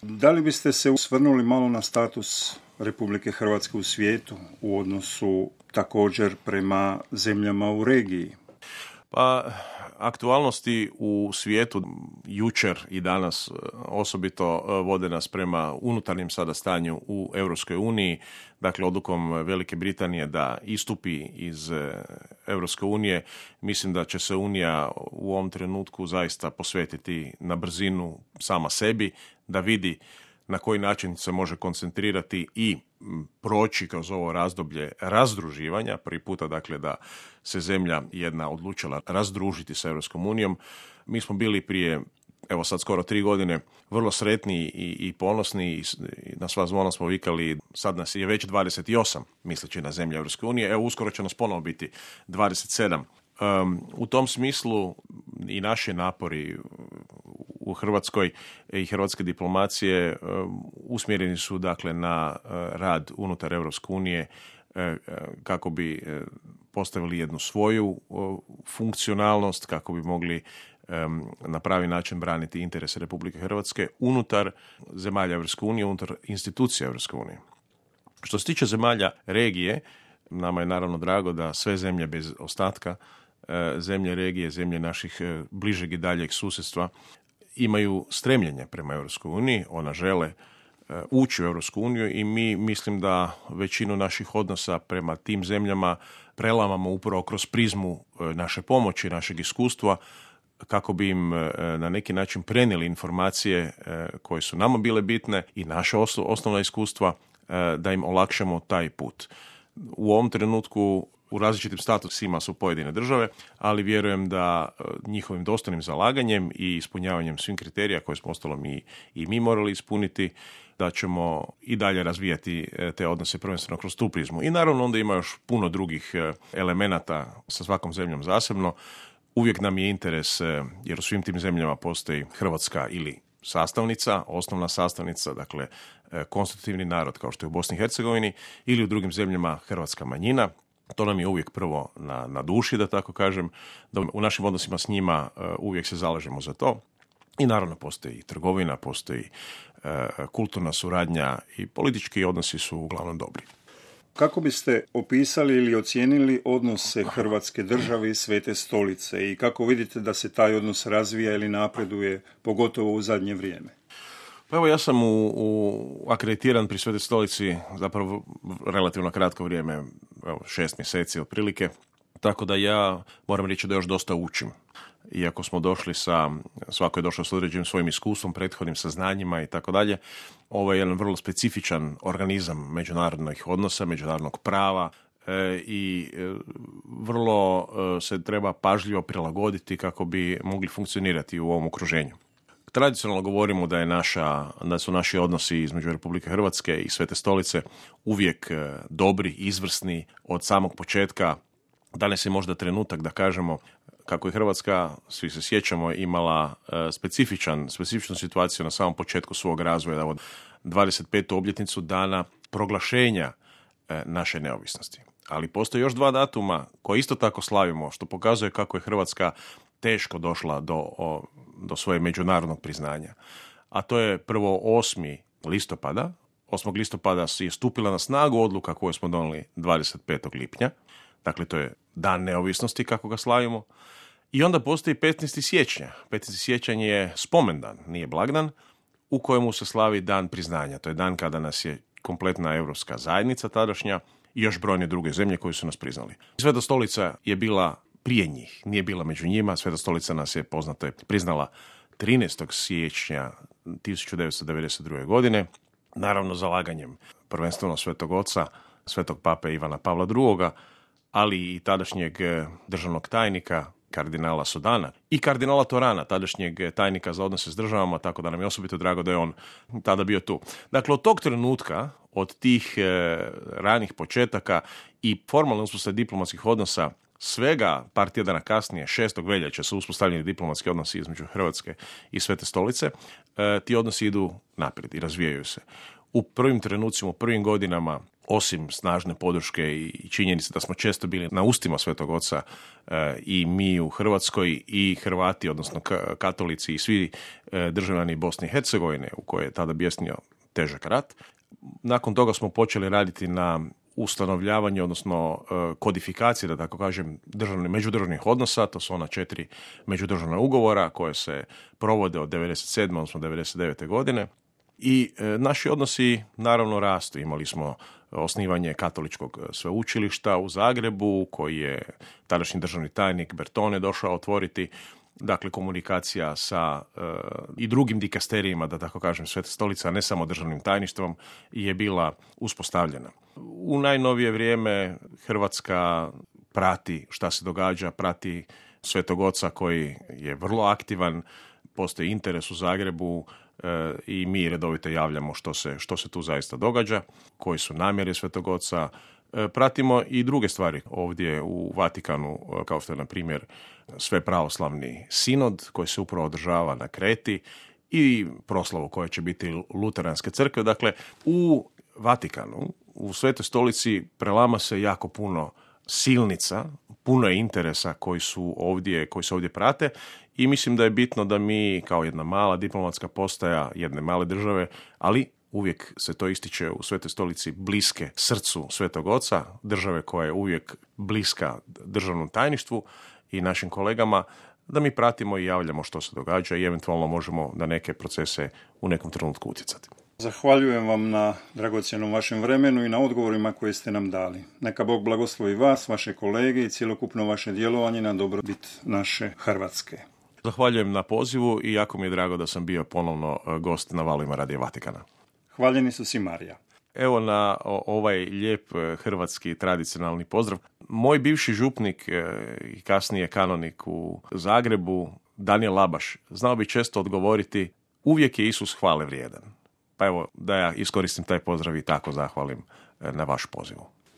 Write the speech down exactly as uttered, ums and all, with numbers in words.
Da li biste se osvrnuli malo na status Republike Hrvatske u svijetu u odnosu također prema zemljama u regiji? Pa, aktualnosti u svijetu jučer i danas osobito vode nas prema unutarnjem sada stanju u Europskoj uniji, dakle odlukom Velike Britanije da istupi iz Europske unije. Mislim da će se Unija u ovom trenutku zaista posvetiti na brzinu sama sebi, da vidi na koji način se može koncentrirati i proći kroz ovo razdoblje razdruživanja. Prvi puta, dakle, da se zemlja jedna odlučila razdružiti sa Europskom unijom. Mi smo bili prije, evo sad skoro tri godine, vrlo sretni i, i ponosni i na sva zvona smo vikali, sad nas je već dvadeset osam, misleći na zemlje Europske unije. Evo, uskoro će nas ponovo biti dvadeset sedam. Um, u tom smislu i naši napori u Hrvatskoj i hrvatske diplomacije um, usmjereni su dakle na uh, rad unutar Europske unije uh, kako bi uh, postavili jednu svoju uh, funkcionalnost, kako bi mogli um, na pravi način braniti interese Republike Hrvatske unutar zemalja Europske unije, unutar institucija Europske unije. Što se tiče zemalja regije, nama je naravno drago da sve zemlje bez ostatka, zemlje regije, zemlje naših bližeg i daljeg susjedstva imaju stremljenje prema Europskoj uniji, ona žele ući u Europsku uniju i mi mislim da većinu naših odnosa prema tim zemljama prelamamo upravo kroz prizmu naše pomoći, našeg iskustva, kako bi im na neki način prenijeli informacije koje su nama bile bitne i naše osnovna iskustva, da im olakšamo taj put. U ovom trenutku u različitim statusima su pojedine države, ali vjerujem da njihovim dostojnim zalaganjem i ispunjavanjem svih kriterija koje smo ostalo mi i mi morali ispuniti, da ćemo i dalje razvijati te odnose prvenstveno kroz tu prizmu. I naravno onda ima još puno drugih elemenata sa svakom zemljom zasebno. Uvijek nam je interes, jer u svim tim zemljama postoji Hrvatska ili sastavnica, osnovna sastavnica, dakle konstitutivni narod kao što je u Bosni i Hercegovini, ili u drugim zemljama hrvatska manjina. To nam je uvijek prvo na, na duši, da tako kažem, da u našim odnosima s njima uh, uvijek se zalažemo za to. I naravno postoji i trgovina, postoji uh, kulturna suradnja i politički odnosi su uglavnom dobri. Kako biste opisali ili ocijenili odnose Hrvatske države i Svete Stolice i kako vidite da se taj odnos razvija ili napreduje, pogotovo u zadnje vrijeme? Pa evo, ja sam u, u akreditiran pri Svetoj Stolici zapravo relativno kratko vrijeme, evo, šest mjeseci otprilike, tako da ja moram reći da još dosta učim. Iako smo došli sa, svako je došao s određenim svojim iskustvom, prethodnim saznanjima i tako dalje, ovo je jedan vrlo specifičan organizam međunarodnih odnosa, međunarodnog prava e, i e, vrlo e, se treba pažljivo prilagoditi kako bi mogli funkcionirati u ovom okruženju. Tradicionalno govorimo da je naša, da su naši odnosi između Republike Hrvatske i Svete Stolice uvijek dobri, izvrsni od samog početka. Danas je možda trenutak da kažemo kako je Hrvatska, svi se sjećamo, imala specifičan, specifičnu situaciju na samom početku svog razvoja, od dvadeset petu obljetnicu dana proglašenja naše neovisnosti. Ali postoje još dva datuma koje isto tako slavimo, što pokazuje kako je Hrvatska teško došla do, o, do svoje međunarodnog priznanja. A to je prvo osmi listopada. osmog listopada je stupila na snagu odluka koju smo donijeli dvadeset petog lipnja. Dakle, to je dan neovisnosti kako ga slavimo. I onda postoji petnaesti siječnja. petnaesti siječanj je spomendan, nije blagdan, u kojemu se slavi dan priznanja. To je dan kada nas je kompletna europska zajednica tadašnja i još brojne druge zemlje koje su nas priznali. Sveta Stolica je bila prije njih, nije bila među njima. Sveta Stolica nas je, poznato je, priznala trinaestog siječnja tisuću devetsto devedeset druge. godine, naravno zalaganjem prvenstveno Svetog Oca, Svetog Pape Ivana Pavla drugoga, ali i tadašnjeg državnog tajnika kardinala Sodana i kardinala Torana, tadašnjeg tajnika za odnose s državama, tako da nam je osobito drago da je on tada bio tu. Dakle, od tog trenutka, od tih e, ranih početaka i formalne uspostave diplomatskih odnosa, svega par tjedana kasnije, šestog veljače, su uspostavljeni diplomatski odnosi između Hrvatske i Svete Stolice, e, ti odnosi idu naprijed i razvijaju se. U prvim trenucima, u prvim godinama osim snažne podrške i činjenice da smo često bili na ustima Svetog Oca i mi u Hrvatskoj i Hrvati, odnosno katolici i svi državljani Bosne i Hercegovine u kojoj je tada bjesnio težak rat. Nakon toga smo počeli raditi na ustanovljavanju, odnosno kodifikacije, da tako kažem, državnih, međudržavnih odnosa. To su ona četiri međudržavna ugovora koje se provode od devedeset sedme odnosno devedeset devete godine. I e, naši odnosi naravno rastu. Imali smo osnivanje katoličkog sveučilišta u Zagrebu, koji je tadašnji državni tajnik Bertone došao otvoriti. Dakle, komunikacija sa e, i drugim dikasterijima, da tako kažem, Svete stolice, a ne samo državnim tajništvom, je bila uspostavljena. U najnovije vrijeme Hrvatska prati šta se događa, prati Svetog Oca koji je vrlo aktivan, postoji interes u Zagrebu e, i mi redovito javljamo što se, što se tu zaista događa, koji su namjere Svetog Oca. E, pratimo i druge stvari ovdje u Vatikanu, kao što je na primjer Svepravoslavni sinod koji se upravo održava na Kreti i proslavu koja će biti Luteranske crkve. Dakle, u Vatikanu, u Svetoj stolici prelama se jako puno silnica, puno je interesa koji su ovdje, koji se ovdje prate i mislim da je bitno da mi kao jedna mala diplomatska postaja jedne male države, ali uvijek se to ističe u Svetoj stolici, bliske srcu Svetog Oca, države koja je uvijek bliska državnom tajništvu i našim kolegama, da mi pratimo i javljamo što se događa i eventualno možemo na neke procese u nekom trenutku utjecati. Zahvaljujem vam na dragocjenom vašem vremenu i na odgovorima koje ste nam dali. Neka Bog blagoslovi vas, vaše kolege i cjelokupno vaše djelovanje na dobrobit naše Hrvatske. Zahvaljujem na pozivu i jako mi je drago da sam bio ponovno gost na valovima Radio Vatikana. Hvaljeni su si Marija. Evo na ovaj lijep hrvatski tradicionalni pozdrav. Moj bivši župnik i kasnije kanonik u Zagrebu, Danijel Labaš, znao bi često odgovoriti: uvijek je Isus hvale vrijedan. Pa evo, da ja iskoristim taj pozdrav i tako zahvalim na vaš pozivu.